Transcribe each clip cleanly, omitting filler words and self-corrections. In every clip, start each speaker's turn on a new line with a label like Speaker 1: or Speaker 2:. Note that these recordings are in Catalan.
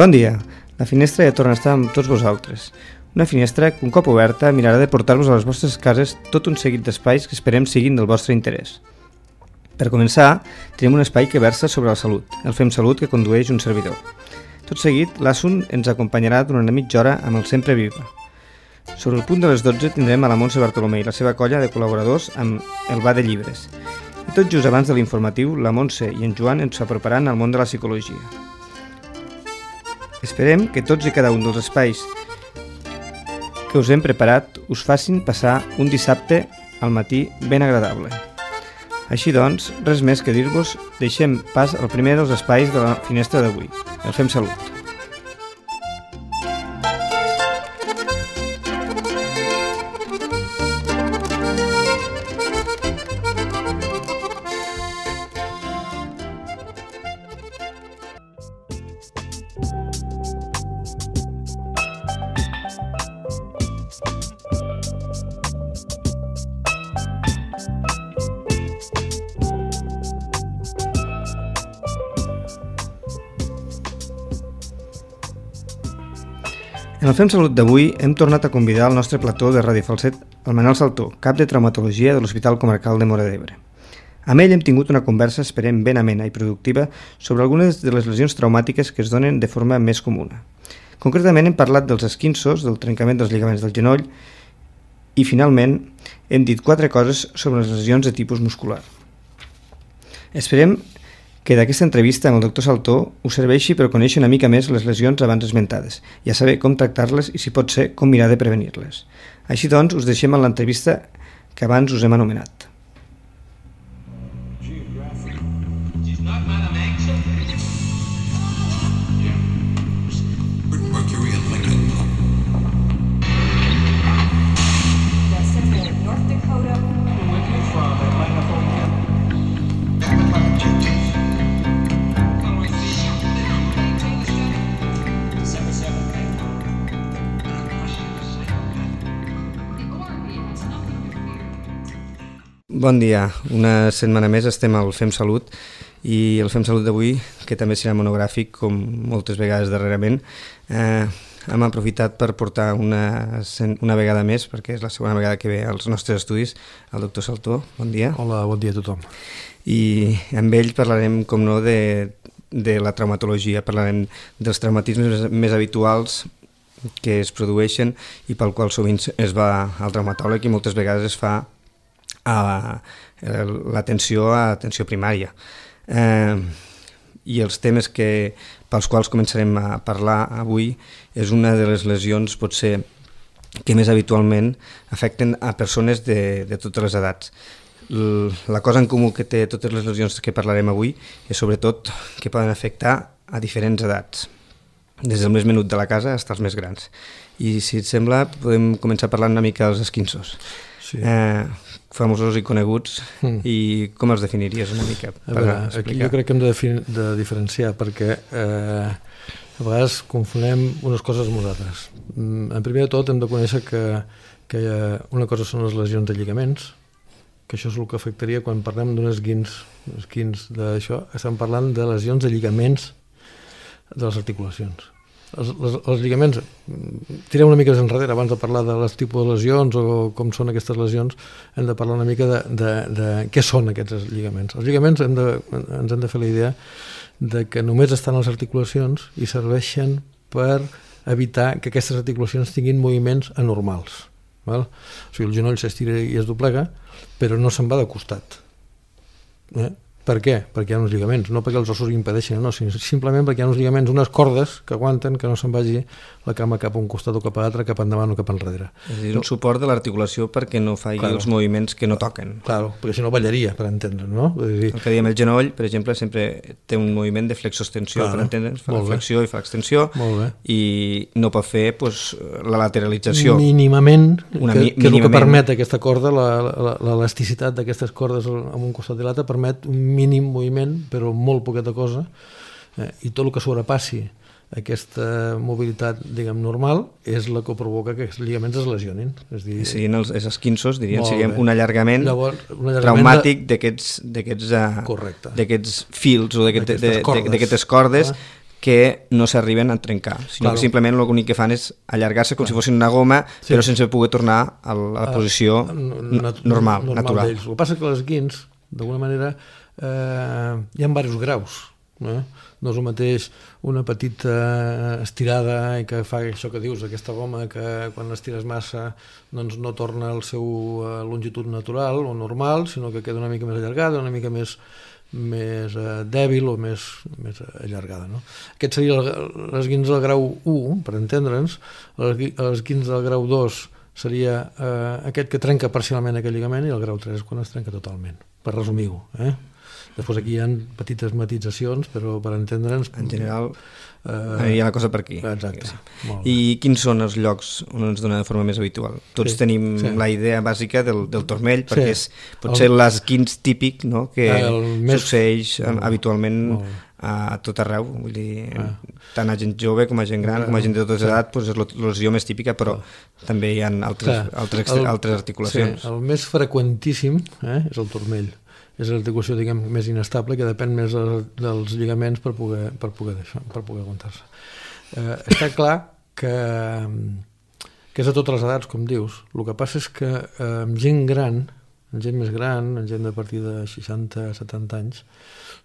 Speaker 1: Bon dia, la finestra ja torna a estar amb tots vosaltres. Una finestra que un cop oberta mirarà de portar-vos a les vostres cases tot un seguit d'espais que esperem siguin del vostre interès. Per començar, tenim un espai que versa sobre la salut, el Fem Salut que condueix un servidor. Tot seguit, l'Asun ens acompanyarà durant una mitja hora amb el Sempre Viva. Sobre el punt de les 12 tindrem a la Montse Bartolomé i la seva colla de col·laboradors amb el Bar de Llibres. I tot just abans de l'informatiu, la Montse i en Joan ens aproparan al món de la psicologia. Esperem que tots i cada un dels espais que us hem preparat us facin passar un dissabte al matí ben agradable. Així doncs, res més que dir-vos, deixem pas al primer dels espais de la finestra d'avui, el Fem Salut. En el Fem Salut d'avui hem tornat a convidar al nostre plató de Ràdio Falset el Manel Saltó, cap de traumatologia de l'Hospital Comarcal de Móra d'Ebre. Amb ell hem tingut una conversa, esperem, ben amena i productiva sobre algunes de les lesions traumàtiques que es donen de forma més comuna. Concretament hem parlat dels esquinços, del trencament dels lligaments del genoll i, finalment, hem dit 4 coses sobre les lesions de tipus muscular. Esperem que d'aquesta entrevista amb el doctor Saltó us serveixi per conèixer una mica més les lesions abans esmentades i a saber com tractar-les i, si pot ser, com mirar de prevenir-les. Així doncs, us deixem en l'entrevista que abans us hem anomenat. Bon dia, una setmana més estem al Fem Salut i el Fem Salut d'avui, que també serà monogràfic com moltes vegades darrerament, hem aprofitat per portar una vegada més, perquè és la segona vegada que ve als nostres estudis, el doctor Saltó. Bon dia.
Speaker 2: Hola, bon dia a tothom.
Speaker 1: I amb ell parlarem, com no, de la traumatologia, parlarem dels traumatismes més habituals que es produeixen i pel qual sovint es va al traumatòleg i moltes vegades es fa a l'atenció primària. I els temes pels quals començarem a parlar avui és una de les lesions potser que més habitualment afecten a persones de totes les edats. La cosa en comú que té totes les lesions que parlarem avui és sobretot que poden afectar a diferents edats, des del més menut de la casa fins als més grans. I si et sembla podem començar parlant una mica dels esquinços. Sí. Famosos i coneguts, i com els definiries una mica?
Speaker 2: Aquí jo crec que hem de diferenciar perquè a vegades confonem unes coses amb unes. En primer de tot hem de conèixer que una cosa són les lesions de lligaments, que això és el que afectaria quan parlem d'un esquins d'això, estem parlant de lesions de lligaments de les articulacions. Els lligaments, tirem una mica enrere abans de parlar de les tipus de lesions o com són aquestes lesions, hem de parlar una mica de què són aquests lligaments. Els lligaments ens hem de fer la idea de que només estan a les articulacions i serveixen per evitar que aquestes articulacions tinguin moviments anormals. Val? O sigui, el genoll s'estira i es doblega, però no se'n va de costat. Per què? Perquè hi ha uns lligaments, no perquè els ossos impedeixin, no, sinó simplement perquè hi ha uns lligaments, unes cordes que aguanten que no se'n vagi la cama cap a un costat o cap a l'altre, cap endavant o cap enrere.
Speaker 1: És a dir, un suport de l'articulació perquè no faci els moviments que no toquen.
Speaker 2: Claro, perquè si no ballaria, per entendre's, no?
Speaker 1: El que diem el genoll, per exemple, sempre té un moviment de flexoextensió, per entendre's, fa la flexió i fa l'extensió, i no pot fer la lateralització.
Speaker 2: Mínimament, que és el que permet aquesta corda, l'elasticitat d'aquestes cordes en un costat i l'altre, permet un mínim moviment, però molt poqueta cosa, i tot el que sobrepassi aquesta mobilitat, diguem, normal, és la que provoca que aquests lligaments es lesionin.
Speaker 1: Siguin els esquinços, diríem, siguem un allargament traumàtic d'aquests fils o d'aquestes cordes que no s'arriben a trencar, sinó que simplement l'únic que fan és allargar-se com si fossin una goma, però sense poder tornar a la posició normal, natural.
Speaker 2: El que passa que les guins, d'alguna manera, hi ha diversos graus. No és el mateix una petita estirada i que fa això que dius, aquesta goma que quan l'estires massa doncs no torna al seu longitud natural o normal, sinó que queda una mica més allargada, una mica més dèbil o més allargada. No? Aquest seria l'esquins del grau 1, per entendre'ns. L'esquins del grau 2 seria aquest que trenca parcialment aquest lligament, i el grau 3 és quan es trenca totalment, per resumir-ho. Després aquí hi ha petites matitzacions, però per entendre'ns...
Speaker 1: En general, hi ha la cosa per aquí.
Speaker 2: Exacte.
Speaker 1: I quins són els llocs on ens dona de forma més habitual? Tots tenim la idea bàsica del turmell, perquè és potser l'esquins típic, no?, que succeeix habitualment a tot arreu, vull dir, tant a gent jove com a gent gran, com a gent de totes edats, és la lesió més típica, però també hi ha altres articulacions.
Speaker 2: El més freqüentíssim és el turmell. És l'articulació, diguem, més inestable, que depèn més dels lligaments per poder aguantar-se. Està clar que és a totes les edats, com dius. El que passa és que amb gent gran, amb gent més gran, amb gent de partir de 60-70 anys,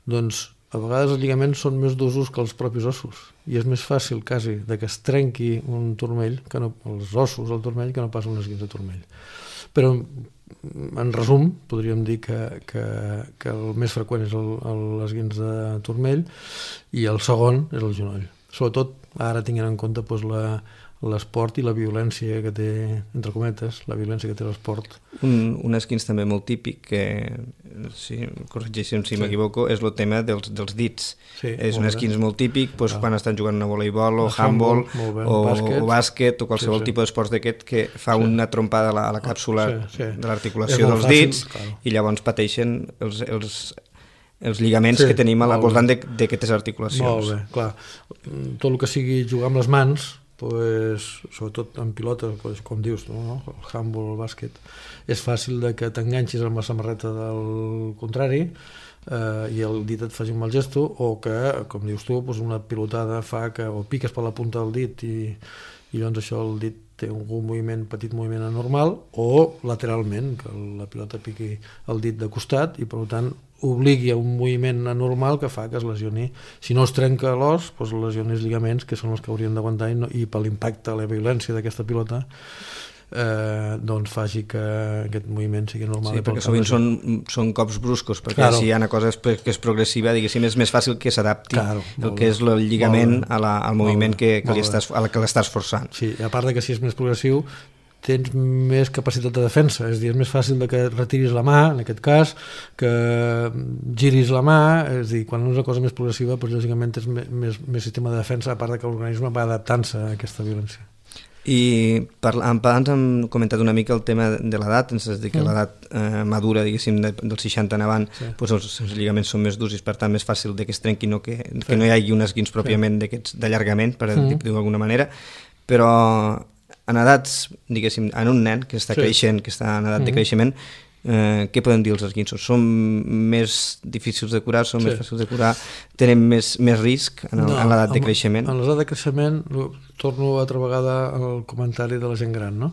Speaker 2: doncs a vegades els lligaments són més d'usos que els propis ossos, i és més fàcil quasi que es trenqui un turmell, els ossos del turmell, que no pas un esquins de turmell. Però en resum, podríem dir que el més freqüent és l'esquins de turmell i el segon és el genoll. Sobretot ara tinguent en compte l'esport i la violència que té, entre cometes, la violència que té l'esport.
Speaker 1: Un esquins també molt típic, que, corregeixen si m'equivoco, és el tema dels dits. És un esquins molt típic quan estan jugant a voleibol o handball o bàsquet o qualsevol tipus d'esports d'aquest que fa una trompada a la càpsula de l'articulació dels dits i llavors pateixen els lligaments que tenim al voltant d'aquestes articulacions.
Speaker 2: Molt bé, clar. Tot el que sigui jugar amb les mans, sobretot en pilota, com dius, el handball o el bàsquet, és fàcil que t'enganxis amb la samarreta del contrari i el dit et faci un mal gesto, o que, com dius tu, una pilotada fa que o piques per la punta del dit i llavors això el dit té un petit moviment anormal, o lateralment, que la pilota piqui el dit de costat i per tant obligui a un moviment anormal que fa que es lesioni. Si no es trenca l'os, es lesioni els lligaments, que són els que haurien d'aguantar, i per l'impacte, la violència d'aquesta pilota doncs faci que aquest moviment sigui normal.
Speaker 1: Sí, perquè sovint són cops bruscos, perquè si hi ha una cosa que és progressiva, diguéssim, és més fàcil que s'adapti el que és el lligament al moviment a la que l'estàs forçant.
Speaker 2: Sí, a part que si és més progressiu tens més capacitat de defensa, és a dir, és més fàcil que retiris la mà, en aquest cas, que giris la mà, és a dir, quan és una cosa més progressiva, lògicament tens més sistema de defensa, a part que l'organisme va adaptant-se a aquesta violència.
Speaker 1: I abans hem comentat una mica el tema de l'edat, és a dir, que l'edat madura, diguéssim, dels 60 en avant, els lligaments són més durs i per tant més fàcil que es trenqui, que no hi hagi un esquins pròpiament d'allargament, per dir-ho d'alguna manera, però en edats, diguéssim, en un nen que està creixent, que està en edat de creixement, què podem dir els esquinços? Són més difícils de curar, són més fàcils de curar, tenen més risc en l'edat de creixement?
Speaker 2: En l'edat de creixement, torno altra vegada al comentari de la gent gran, no?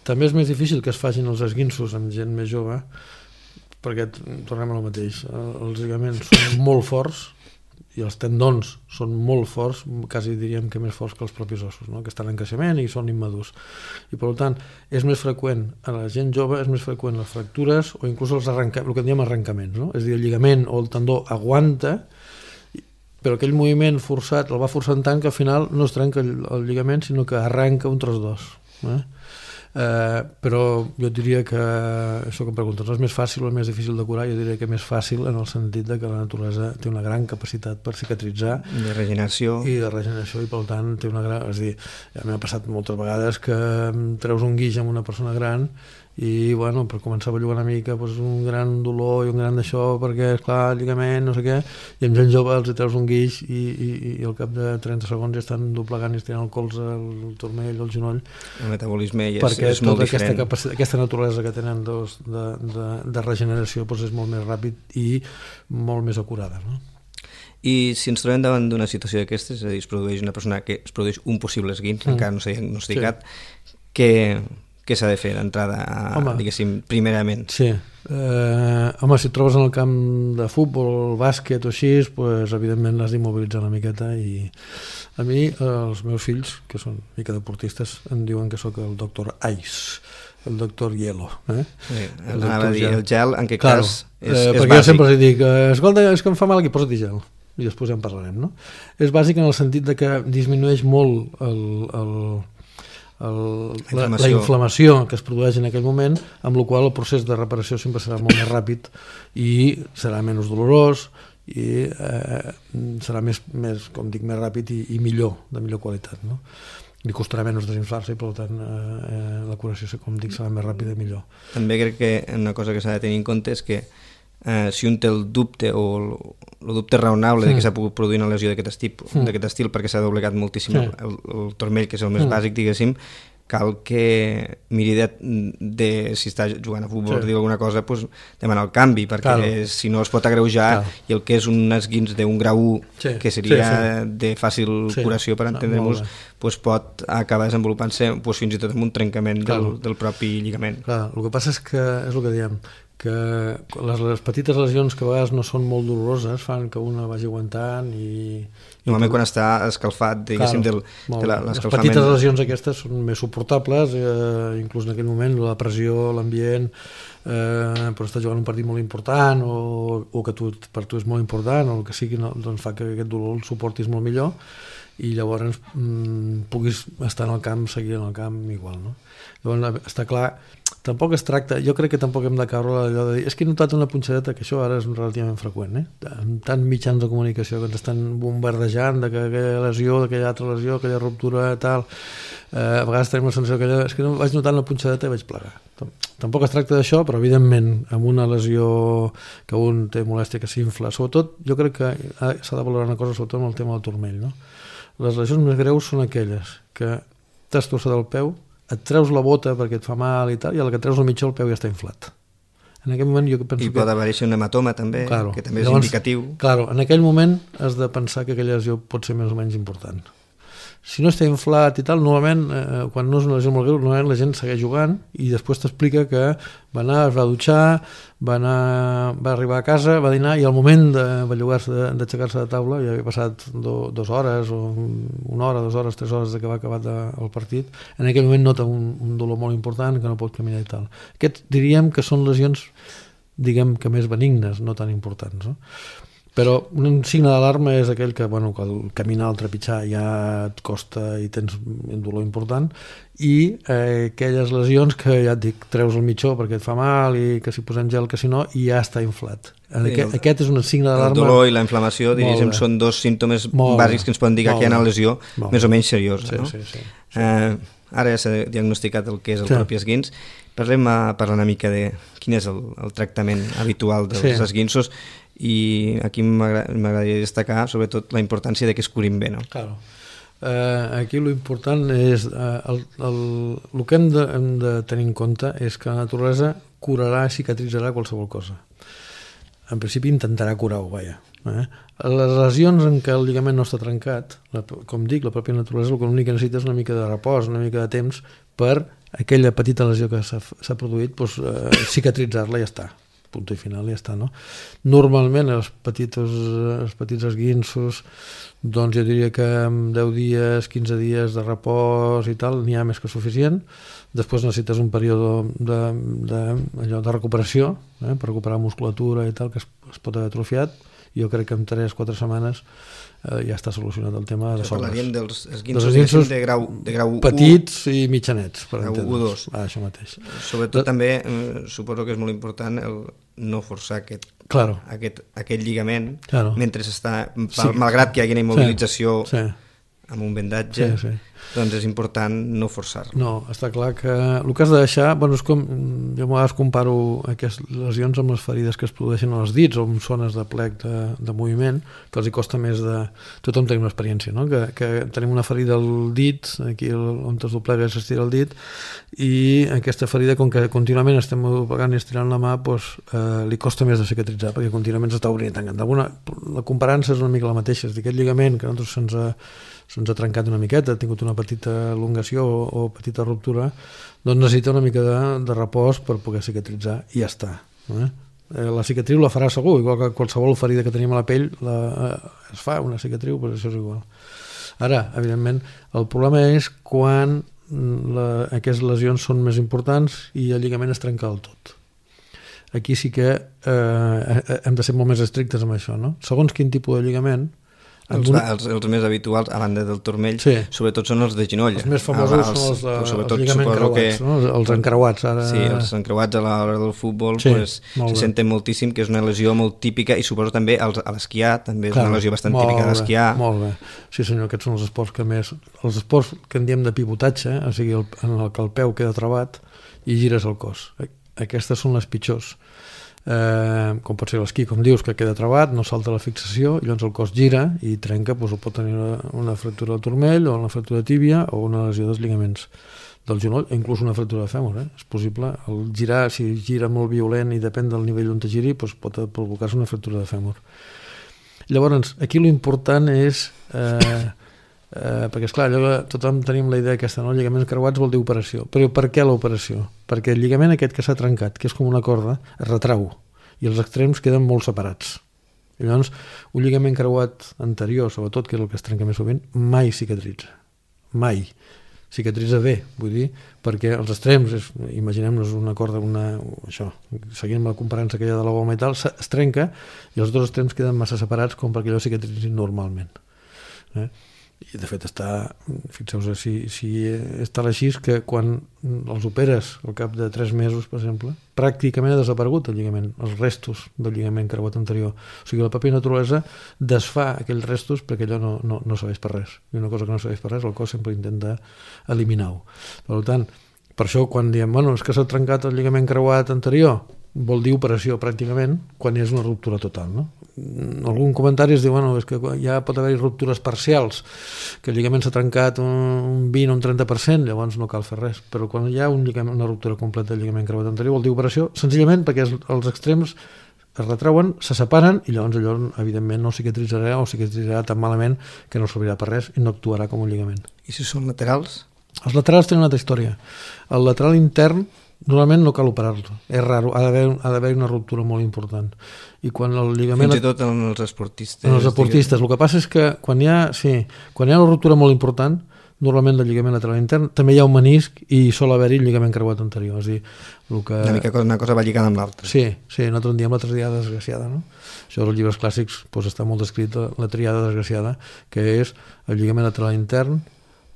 Speaker 2: També és més difícil que es facin els esquinços amb gent més jove, perquè tornem al mateix, els lligaments són molt forts i els tendons són molt forts, quasi diríem que més forts que els propis ossos, que estan en creixement i són immadurs. I per tant, és més freqüent a la gent jove, és més freqüent les fractures o inclús el que en diem arrencaments. És a dir, el lligament o el tendó aguanta, però aquell moviment forçat el va forçant tant que al final no es trenca el lligament, sinó que arrenca un tros d'os. Però jo diria que això que em preguntes, és més fàcil o més difícil de curar? Jo diria que més fàcil en el sentit que la naturalesa té una gran capacitat per cicatritzar
Speaker 1: de regeneració
Speaker 2: i per tant té una gran... És a dir, ja m'ha passat moltes vegades que treus un guix amb una persona gran i per començar a bellugar una mica un gran dolor i un gran d'això perquè esclar, el lligament, no sé què, i amb gent jove els treus un guix i al cap de 30 segons ja estan doblegant i estirant el colze, el turmell, el genoll.
Speaker 1: El metabolisme és
Speaker 2: perquè
Speaker 1: molt diferent.
Speaker 2: aquesta naturalesa que tenen de regeneració és molt més ràpid i molt més acurada, no?
Speaker 1: I si ens trobem davant d'una situació d'aquestes, és a dir, es produeix una persona que es produeix un possible esguinç, encara no s'ha diagnosticat, què s'ha de fer d'entrada, diguéssim, primerament?
Speaker 2: Sí. Home, si et trobes en el camp de futbol, bàsquet o així, pues, evidentment l'has d'immobilitzar una miqueta. I a mi, els meus fills, que són una mica deportistes, em diuen que sóc el doctor Ice, el doctor Hielo.
Speaker 1: Sí, anava a dir, el gel, en què cas és
Speaker 2: perquè
Speaker 1: bàsic.
Speaker 2: Jo sempre els dic, escolta, és que em fa mal aquí, posa't gel. I després ja en parlarem, no? És bàsic en el sentit de que disminueix molt la inflamació que es produeix en aquell moment, amb la qual el procés de reparació sempre serà molt més ràpid i serà menys dolorós i serà més, com dic, més ràpid i millor, de millor qualitat, no? Li costarà menys desinflar-se i per tant la curació, com dic, serà més ràpida i millor.
Speaker 1: També crec que una cosa que s'ha de tenir en compte és que si un té el dubte o el dubte raonable de que s'ha pogut produir una lesió d'aquest estil perquè s'ha doblegat moltíssim el turmell, que és el més bàsic, diguéssim, cal que miri de si està jugant a futbol o dir alguna cosa, doncs, demanar el canvi, perquè si no es pot agreujar i el que és un esguinç d'un grau 1 que seria de fàcil curació, per entendre-nos, doncs pot acabar desenvolupant-se fins i tot amb un trencament del propi lligament.
Speaker 2: Clar, el que passa és que és el que diem, que les petites lesions que a vegades no són molt doloroses fan que una vagi aguantant i...
Speaker 1: Normalment quan està escalfat, diguéssim, de l'escalfament...
Speaker 2: Les petites lesions aquestes són més suportables, inclús en aquell moment la pressió, l'ambient, però estàs jugant un partit molt important o que per tu és molt important o el que sigui, doncs fa que aquest dolor el suportis molt millor i llavors puguis estar en el camp, seguir en el camp igual, no? Llavors està clar, tampoc es tracta, jo crec que tampoc hem de caure allò de dir, és que he notat una punxadeta, que això ara és relativament freqüent, amb tants mitjans de comunicació que ens estan bombardejant de que aquella lesió, d'aquella altra lesió, aquella ruptura, tal, a vegades tenim la sensació que allò, és que no vaig notar una punxadeta i vaig plegar. Tampoc es tracta d'això, però evidentment amb una lesió que un té molèstia, que s'infla, sobretot jo crec que s'ha de valorar una cosa, sobretot amb el tema del turmell, no? Les lesions més greus són aquelles que t'has torçat el peu, et treus la bota perquè et fa mal i tal, i a la que treus el mitjó el peu ja està inflat. En aquell moment jo penso
Speaker 1: pot aparèixer un hematoma també, que també és indicatiu.
Speaker 2: Claro, en aquell moment has de pensar que aquella lesió pot ser més o menys important. Si no està inflat i tal, normalment, quan no és una lesió molt greu, normalment la gent segueix jugant i després t'explica que va anar, es va dutxar, va arribar a casa, va dinar i al moment de bellugar-se, d'aixecar-se de taula, ja havia passat 2 hores o 1 hora, 2 hores, 3 hores de que va acabat el partit, en aquell moment nota un dolor molt important que no pot caminar i tal. Aquests diríem que són lesions, diguem que més benignes, no tan importants, no? Però un signe d'alarma és aquell que, bueno, que el caminar, el trepitjar ja et costa i tens un dolor important i aquelles lesions que ja et dic, treus el mitjó perquè et fa mal i que si posem gel que si no i ja està inflat. Aquest és un signe d'alarma.
Speaker 1: El dolor i la inflamació, diríem, són 2 símptomes bàsics que ens poden dir que hi ha una lesió més o menys seriosa.
Speaker 2: Sí.
Speaker 1: Ara ja s'ha diagnosticat el que és el propi esguinç. Parlem una mica de quin és el tractament habitual dels esguinços i aquí m'agradaria destacar sobretot la importància de que es curin bé, no?
Speaker 2: Claro. Aquí l'important és el que hem de tenir en compte és que la naturalesa curarà i cicatritzarà qualsevol cosa. En principi intentarà curar-ho, vaja. Les lesions en què el lligament no està trencat, com dic, la pròpia naturalesa l'únic que necessita és una mica de repòs, una mica de temps per aquella petita lesió que s'ha produït, cicatritzar-la i ja està. Punt i final i ja està, no? Normalment els petits esguinços, doncs jo diria que amb 10 dies, 15 dies de repòs i tal, n'hi ha més que suficient. Després necessites un període de recuperació, per recuperar musculatura i tal, que es pot haver atrofiat. Jo crec que en 3-4 setmanes ja està solucionat el tema de sobres.
Speaker 1: Parlaríem dels esguinços de grau 1.
Speaker 2: Petits i mitjanets, per
Speaker 1: entendre's. Grau 2.
Speaker 2: Això mateix.
Speaker 1: Sobretot també, suposo que és molt important el no forçar aquest lligament mentre està, malgrat que hi hagi una immobilització amb un vendatge, doncs és important no forçar-lo.
Speaker 2: No, està clar que el que has de deixar, és com, jo a vegades comparo aquestes lesions amb les ferides que es produeixen als dits o amb zones de plec de moviment, que els hi costa més de... Tothom tenim una experiència, no? Que tenim una ferida al dit, aquí on es doblega i s'estira el dit, i aquesta ferida, com que contínuament estem doblegant i estirant la mà, li costa més de cicatritzar, perquè contínuament s'està obrint i tancant. La comparança és una mica la mateixa, és dir, aquest lligament que a nosaltres se'ns ha trencat una miqueta, ha tingut una petita elongació o petita ruptura, doncs necessita una mica de repòs per poder cicatritzar i ja està. La cicatriu la farà segur, igual que qualsevol ferida que tenim a la pell es fa una cicatriu, però això és igual. Ara, evidentment, el problema és quan aquestes lesions són més importants i el lligament es trenca del tot. Aquí sí que hem de ser molt més estrictes amb això, no? Segons quin tipus de lligament,
Speaker 1: els més habituals, a banda del turmell, sobretot són els de genoll.
Speaker 2: Els més famosos són els lligaments creuats, no? Els encreuats.
Speaker 1: Sí, els encreuats a l'hora del futbol se senten moltíssim, que és una lesió molt típica, i suposo també a l'esquiar, també és una lesió bastant típica d'esquiar.
Speaker 2: Molt bé, sí senyor, aquests són els esports que més... Els esports que en diem de pivotatge, o sigui, en el que el peu queda trabat i gires el cos. Aquestes són les pitjors. Com pot ser l'esquí, com dius, que queda trabat, no salta la fixació i llavors el cos gira i trenca, o pot tenir una fractura del turmell o una fractura de tíbia o una lesió dels lligaments del genoll, inclús una fractura de fèmur. És possible, el girar, si gira molt violent i depèn del nivell on te giri, pot provocar-se una fractura de fèmur. Llavors, aquí l'important és perquè esclar, tothom tenim la idea aquesta, no? Lligaments creuats vol dir operació, però per què l'operació? Perquè el lligament aquest que s'ha trencat, que és com una corda, es retrau i els extrems queden molt separats. I llavors un lligament creuat anterior, sobretot, que és el que es trenca més sovint, mai cicatritza, mai cicatritza bé, vull dir, perquè els extrems, imaginem-nos una corda, això, seguint la comparança aquella de la goma i tal, es trenca i els dos extrems queden massa separats com perquè allò cicatritzin normalment. I de fet fixeu-vos si està així, que quan els operes al cap de 3 mesos, per exemple, pràcticament ha desaparegut el lligament, els restos del lligament creuat anterior. O sigui, la pròpia naturalesa desfà aquells restos perquè allò no serveix per res. I una cosa que no serveix per res, el cos sempre intenta eliminar-ho. Per tant, per això quan diem, és que s'ha trencat el lligament creuat anterior, vol dir operació pràcticament quan és una ruptura total, no? Algun comentari es diu, és que ja pot haver-hi ruptures parcials, que el lligament s'ha trencat un 20 o un 30%, llavors no cal fer res, però quan hi ha una ruptura completa del lligament creuat anterior vol dir operació, senzillament perquè els extrems es retrauen, se separen i llavors allò evidentment no cicatritzarà o cicatritzarà tan malament que no servirà per res i no actuarà com un lligament.
Speaker 1: I si són laterals?
Speaker 2: Els laterals tenen una altra història. El lateral intern normalment no cal operar-lo, és raro, ha d'haver una ruptura molt important. I quan el lligament...
Speaker 1: Fins i tot en els esportistes.
Speaker 2: En els esportistes. El que passa és que quan hi ha una ruptura molt important, normalment del lligament lateral intern, també hi ha un menisc i sol haver-hi el lligament creuat anterior. És a dir,
Speaker 1: una cosa va lligada amb l'altra.
Speaker 2: Sí, nosaltres en diem la triada desgraciada, no? Això dels llibres clàssics està molt descrit, la triada desgraciada, que és el lligament lateral intern,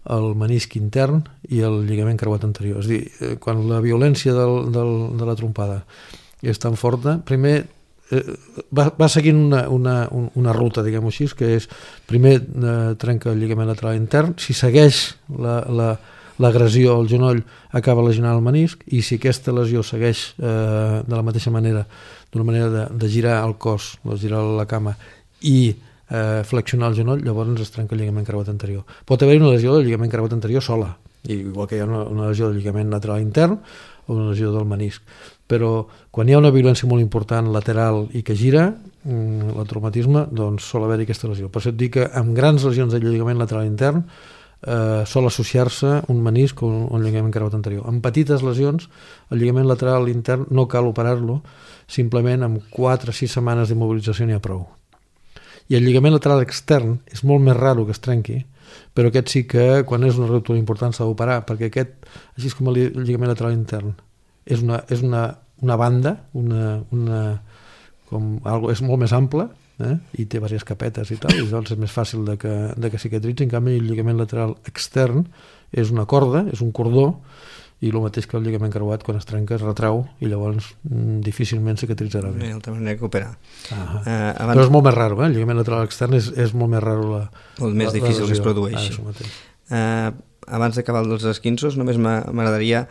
Speaker 2: el menisc intern i el lligament creuat anterior. És a dir, quan la violència de la trompada és tan forta, primer va seguint una ruta, diguem-ho així, que és primer trenca el lligament lateral intern, si segueix l'agressió al genoll acaba lesionant el menisc, i si aquesta lesió segueix de la mateixa manera, d'una manera de girar el cos, de girar la cama i flexionar el genoll, llavors es trenca el lligament creuat anterior. Pot haver una lesió del lligament creuat anterior sola, igual que hi ha una lesió del lligament lateral intern o una lesió del menisc, però quan hi ha una violència molt important lateral i que gira el traumatisme, doncs sol haver-hi aquesta lesió. Per això et dic que amb grans lesions del lligament lateral intern sol associar-se un menisc o un lligament creuat anterior. En petites lesions el lligament lateral intern no cal operar-lo, simplement amb 4 o 6 setmanes d'immobilització n'hi ha prou. I el lligament lateral extern és molt més raro que es trenqui, però aquest sí que quan és una ruptura important s'ha d'operar, perquè aquest, així com el lligament lateral intern, és una banda, és molt més ample, i té diverses capetes i tal, i doncs és més fàcil de que cicatritzi. En canvi el lligament lateral extern és una corda, és un cordó, i el mateix que el lligament creuat, quan es trenca es retrau i llavors difícilment cicatritzarà bé.
Speaker 1: D'altra manera que operar.
Speaker 2: Però és molt més raro, el lligament lateral extern és molt més raro
Speaker 1: molt més difícil que es produeixi. Abans d'acabar els esquinços, només m'agradaria,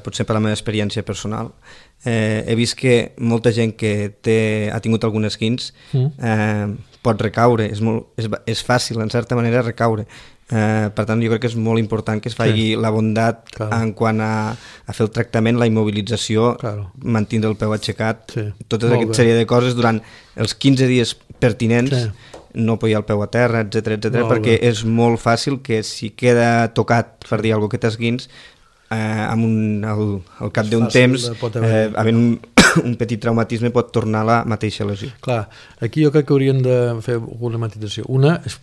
Speaker 1: potser per la meva experiència personal, he vist que molta gent que ha tingut algun esquinç pot recaure, és fàcil en certa manera recaure. Per tant, jo crec que és molt important que es faci la bondat en quant a fer el tractament, la immobilització, mantindre el peu aixecat, tota aquesta sèrie de coses durant els 15 dies pertinents, no apoyar el peu a terra, etc, perquè és molt fàcil que si queda tocat, per dir alguna cosa, que t'esguins, al cap d'un temps, havent un petit traumatisme, pot tornar la mateixa lesió.
Speaker 2: Clar, aquí jo crec que hauríem de fer una matització. Una és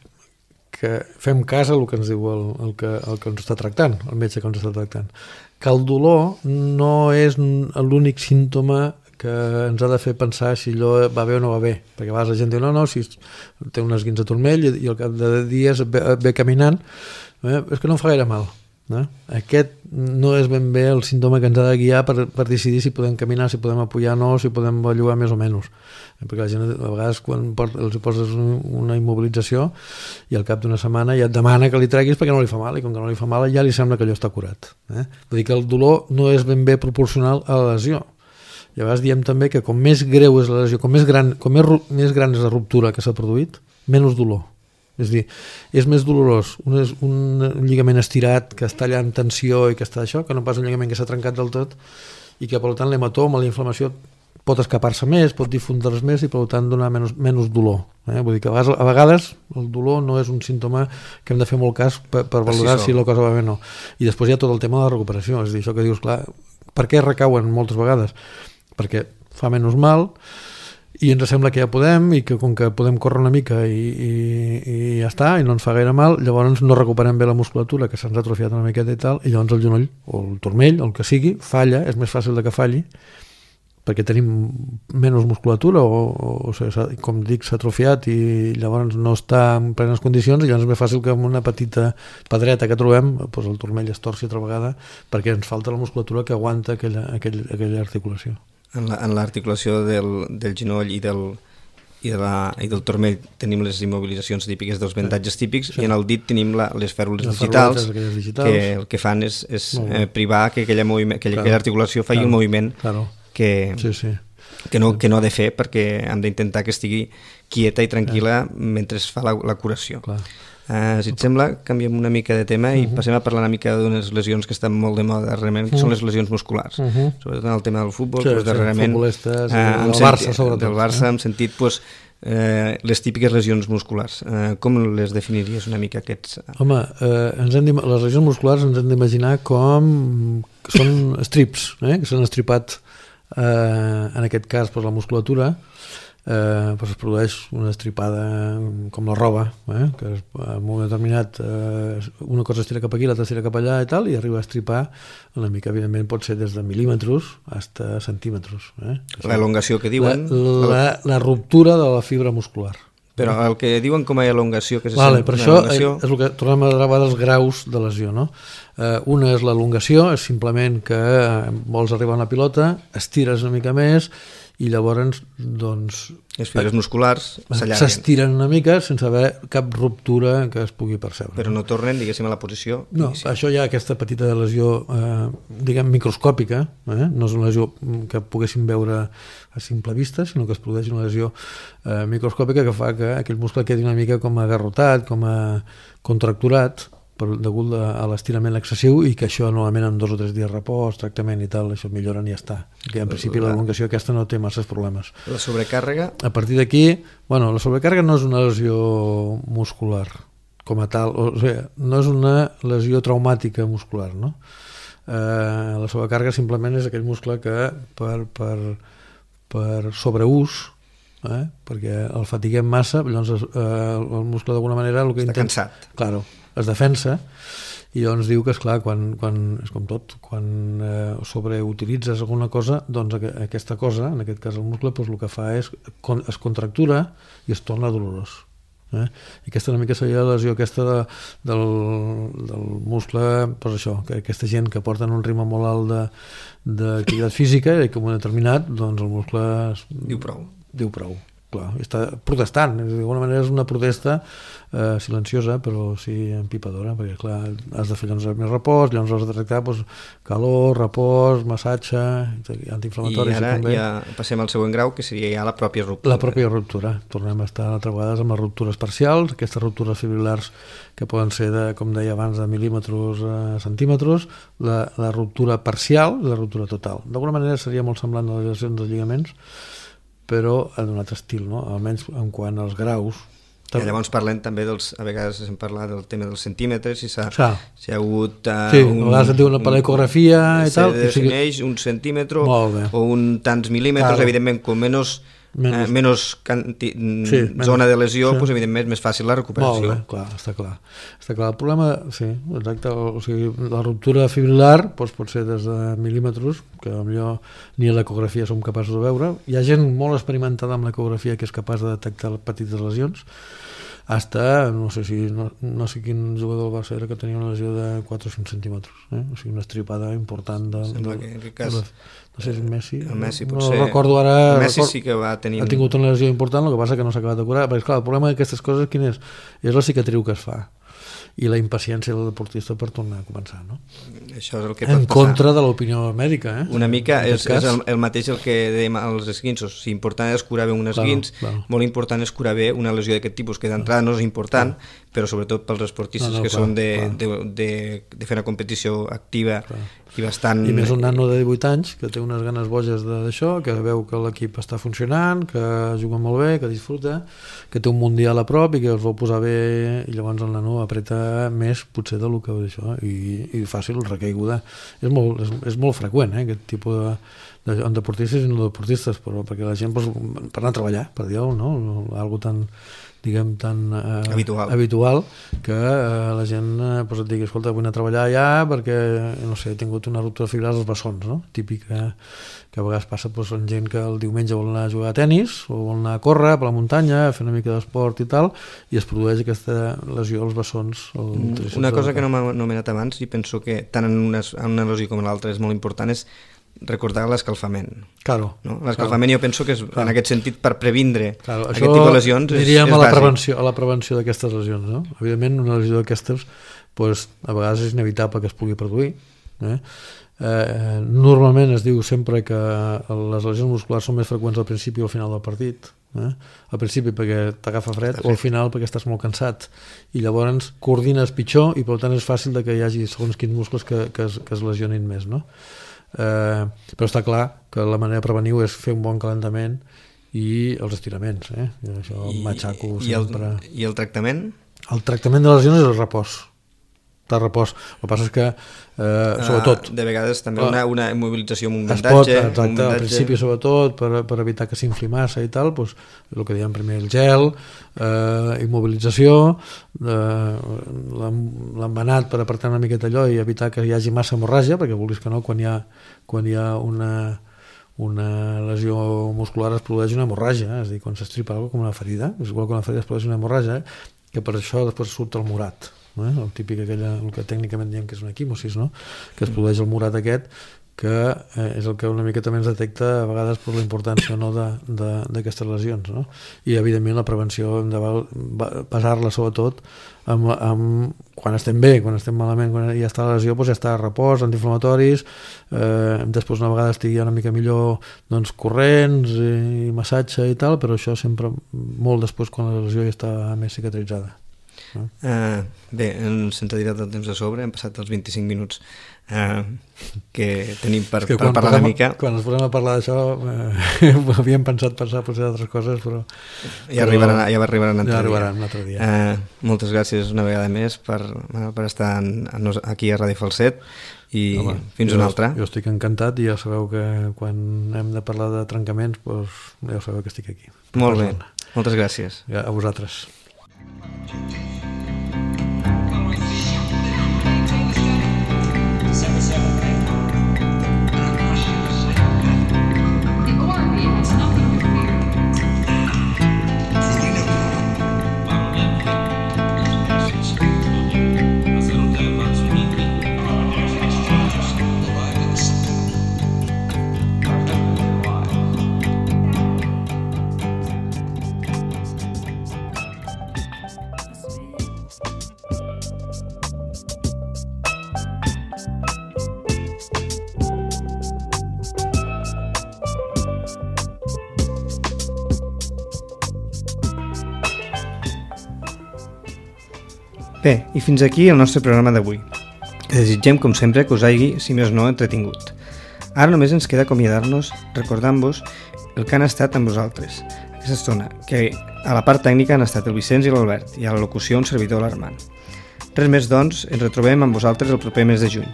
Speaker 2: que fem cas a el que ens diu el que ens està tractant, el metge que ens està tractant. Que el dolor no és l'únic símptoma que ens ha de fer pensar si allò va bé o no va bé, perquè a vegades la gent diu no, si té un esguinç de turmell i al cap de dies ve caminant, és que no em fa gaire mal. Aquest no és ben bé el símptoma que ens ha de guiar per decidir si podem caminar, si podem apoyar o no, si podem bellugar més o menys, perquè la gent a vegades quan els poses una immobilització i al cap d'una setmana ja et demana que li treguis perquè no li fa mal, i com que no li fa mal ja li sembla que allò està curat. Vull dir que el dolor no és ben bé proporcional a la lesió. I a vegades diem també que com més greu és la lesió, com més gran és la ruptura que s'ha produït, menys dolor. És a dir, és més dolorós un lligament estirat que està allà en tensió i que està això, que no pas un lligament que s'ha trencat del tot i que per tant l'hematoma, la inflamació pot escapar-se més, pot difondre's més i per tant donar menys dolor. Vull dir que a vegades el dolor no és un símptoma que hem de fer molt cas per valorar si la cosa va bé o no. I després hi ha tot el tema de la recuperació, és a dir, això que dius, clar, per què recauen moltes vegades? Perquè fa menys mal i ens sembla que ja podem i que com que podem córrer una mica i ja està, i no ens fa gaire mal, llavors no recuperem bé la musculatura que s'ha atrofiat una miqueta i tal, i llavors el genoll o el turmell o el que sigui falla, és més fàcil de que falli perquè tenim menys musculatura o com dic, s'ha atrofiat i llavors no està en plenes condicions i llavors és més fàcil que amb una petita pedreta que trobem doncs el turmell es torci altra vegada perquè ens falta la musculatura que aguanta aquella articulació.
Speaker 1: En l'articulació del genoll i del turmell tenim les immobilitzacions típiques dels vendatges típics i en el dit tenim les fèrrules digitals que el que fan és privar que aquella articulació faci un moviment que no ha de fer perquè hem d'intentar que estigui quieta i tranquil·la mentre es fa la curació. Si et sembla, canviem una mica de tema i passem a parlar una mica d'unes lesions que estan molt de moda darrerament, que són les lesions musculars. Sobretot en el tema del futbol, darrerament del Barça, hem sentit les típiques lesions musculars. Com les definiries una mica aquests?
Speaker 2: Home, les lesions musculars ens hem d'imaginar com són strips, que s'han estripat en aquest cas per la musculatura. Es produeix una estripada com la roba, que en un moment determinat una cosa estira cap aquí, l'altra estira cap allà i tal, i arriba a estripar una mica, evidentment pot ser des de mil·límetres fins a centímetres.
Speaker 1: L'elongació que diuen...
Speaker 2: La ruptura de la fibra muscular.
Speaker 1: Però el que diuen com a elongació, que és
Speaker 2: per això és el que tornem a gravar dels graus de lesió, no? Una és l'elongació, és simplement que vols arribar a una pilota, estires una mica més i llavors doncs
Speaker 1: les fibres musculars
Speaker 2: s'estiren una mica sense haver cap ruptura que es pugui percebre.
Speaker 1: Però no tornen, diguéssim, a la posició?
Speaker 2: No, això hi ha aquesta petita lesió diguem microscòpica, no és una lesió que poguéssim veure a simple vista, sinó que es produeix una lesió microscòpica que fa que aquell muscle quedi una mica com agarrotat, com a contracturat degut a l'estirament excessiu i que això normalment en 2 o 3 dies repòs, tractament i tal, això millora i ja està. Que en principi l'elongació aquesta no té masses problemes.
Speaker 1: La sobrecàrrega?
Speaker 2: A partir d'aquí, la sobrecàrrega no és una lesió muscular com a tal, o sigui, no és una lesió traumàtica muscular, no? La sobrecàrrega simplement és aquell muscle que per sobreús perquè el fatiguem massa, llavors el muscle d'alguna manera
Speaker 1: està cansat.
Speaker 2: Claro, es defensa i llavors diu que esclar, quan és com tot, quan sobreutilitzes alguna cosa, doncs aquesta cosa, en aquest cas el muscle, doncs el que fa és es contractura i es torna dolorós. I aquesta una mica seria la lesió aquesta del muscle, doncs això, que aquesta gent que porten un ritme molt alt d'activitat física i que en un determinat, doncs el muscle
Speaker 1: diu prou.
Speaker 2: Clar, està protestant, d'alguna manera és una protesta silenciosa però sí empipadora, perquè clar, has de fer llavors més repòs, llavors has de tractar calor, repòs, massatge, antiinflamatoris.
Speaker 1: I ara ja passem al següent grau, que seria ja la pròpia ruptura.
Speaker 2: La pròpia ruptura. Tornem a estar altres vegades amb les ruptures parcials, aquestes ruptures fibrilars que poden ser, com deia abans, de mil·límetres a centímetres, la ruptura parcial i la ruptura total. D'alguna manera seria molt semblant a les lesions dels lligaments, però en un altre estil, no? Almenys en quant als graus.
Speaker 1: I llavors parlem també a vegades hem parlat del tema dels centímetres, si ha hagut
Speaker 2: sí, a vegades et diu una paleografia i tal.
Speaker 1: Se defineix un centímetre o un tants mil·límetres, evidentment, com menys zona de lesió, doncs evidentment més fàcil la recuperació.
Speaker 2: Molt bé, clar, està clar. El problema, sí, exacte, o sigui, la ruptura fibrilar pot ser des de mil·límetres, que potser ni a l'ecografia som capaços de veure. Hi ha gent molt experimentada amb l'ecografia que és capaç de detectar petites lesions, hasta, no sé quin jugador del Barça era que tenia una lesió de 4 o 5 centímetres, o sigui, una estripada important
Speaker 1: sembla que en aquest cas
Speaker 2: no sé si és Messi,
Speaker 1: potser
Speaker 2: no recordo ara.
Speaker 1: Messi sí que va tenir...
Speaker 2: Ha tingut una lesió important, el que passa que no s'ha acabat de curar, perquè clar, el problema d'aquestes coses quin és? És la cicatriu que es fa i la impaciència del deportista per tornar a començar, no?
Speaker 1: Això és el que pot
Speaker 2: en contra de l'opinió mèdica,
Speaker 1: Una mica és el mateix el que dèiem als esguinços. Si important és curar bé un esguins, molt important és curar bé una lesió d'aquest tipus, que d'entrada no és important, però sobretot pels esportistes que són de fer una competició activa i bastant...
Speaker 2: I més un nano de 18 anys que té unes ganes boges d'això, que veu que l'equip està funcionant, que juga molt bé, que disfruta, que té un mundial a prop i que els vol posar bé, i llavors el nano apreta més potser del que d'això, i fàcil recaiguda. És molt freqüent, aquest tipus de deportistes i no deportistes, però perquè la gent per anar a treballar, per dir-ho, no? Algo tan habitual que la gent et digui, escolta, vull anar a treballar allà perquè, no sé, he tingut una ruptura fibrilar als bessons, no? Típic que a vegades passa en gent que el diumenge vol anar a jugar a tennis o vol anar a córrer per la muntanya, a fer una mica d'esport i tal, i es produeix aquesta lesió als bessons.
Speaker 1: Una cosa que no m'ha anomenat abans, i penso que tant en una lesió com en l'altra és molt important, és recordar l'escalfament.
Speaker 2: Claro.
Speaker 1: No? L'escalfament jo penso que és, en aquest sentit, per previndre aquest tipus de lesions és bàsic.
Speaker 2: A la prevenció d'aquestes lesions, no? Evidentment, una lesió d'aquestes a vegades és inevitable que es pugui produir. Normalment es diu sempre que les lesions musculars són més freqüents al principi o al final del partit. Al principi perquè t'agafa fred o al final perquè estàs molt cansat i llavors coordines pitjor i per tant és fàcil que hi hagi segons quins muscles que es lesionin més, no? Però està clar que la manera de prevenir és fer un bon calentament i els estiraments, això matxaco sempre.
Speaker 1: I el tractament?
Speaker 2: El tractament de les lesions és el repòs. El que passa és que sobretot
Speaker 1: de vegades també una immobilització amb un vendatge,
Speaker 2: al principi sobretot per evitar que s'infli massa i tal, doncs, el que dèiem primer, el gel, immobilització, l'embenat per apartar una miqueta allò i evitar que hi hagi massa hemorràgia, perquè vulguis que no, quan hi ha una lesió muscular es produeix una hemorràgia, és a dir, quan s'estripa alguna cosa com una ferida, és igual que una ferida es produeix una hemorràgia, que per això després surt el morat. El típic el que tècnicament diem que és una equimosis, no? Que es produeix el morat aquest, que és el que una mica també ens detecta a vegades per la importància o no d'aquestes lesions, no? I evidentment la prevenció hem de basar-la sobretot quan estem bé, quan estem malament, quan ja està la lesió, doncs ja està a repòs, antiinflamatoris, després una vegada estigui una mica millor, doncs corrents i massatge i tal, però això sempre molt després quan la lesió ja està més cicatritzada.
Speaker 1: Bé, sense dir el temps de sobre, hem passat els 25 minuts que tenim per parlar una mica.
Speaker 2: Quan ens posem a parlar d'això havíem pensat passar potser d'altres coses, però
Speaker 1: ja arribaran un
Speaker 2: altre dia.
Speaker 1: Moltes gràcies una vegada més per estar aquí a Ràdio Falset i fins una altra.
Speaker 2: Jo estic encantat i ja sabeu que quan hem de parlar de trencaments ja sabeu que estic aquí.
Speaker 1: Molt bé, moltes gràcies.
Speaker 2: A vosaltres.
Speaker 1: Bé, i fins aquí el nostre programa d'avui. Desitgem, com sempre, que us hagi, si més no, entretingut. Ara només ens queda acomiadar-nos recordant-vos el que han estat amb vosaltres aquesta estona, que a la part tècnica han estat el Vicenç i l'Albert i a la locució un servidor, l'Armand. Res més, doncs, ens retrobem amb vosaltres el proper mes de juny,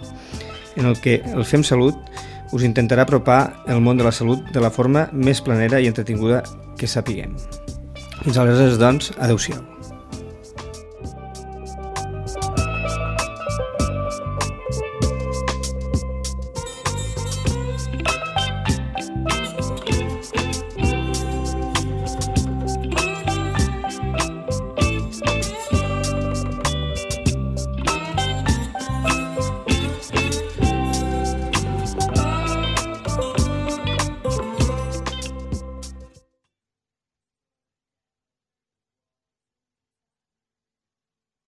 Speaker 1: en el que el Fem Salut us intentarà apropar el món de la salut de la forma més planera i entretinguda que sapiguem. Fins aleshores, doncs, adeu-siau.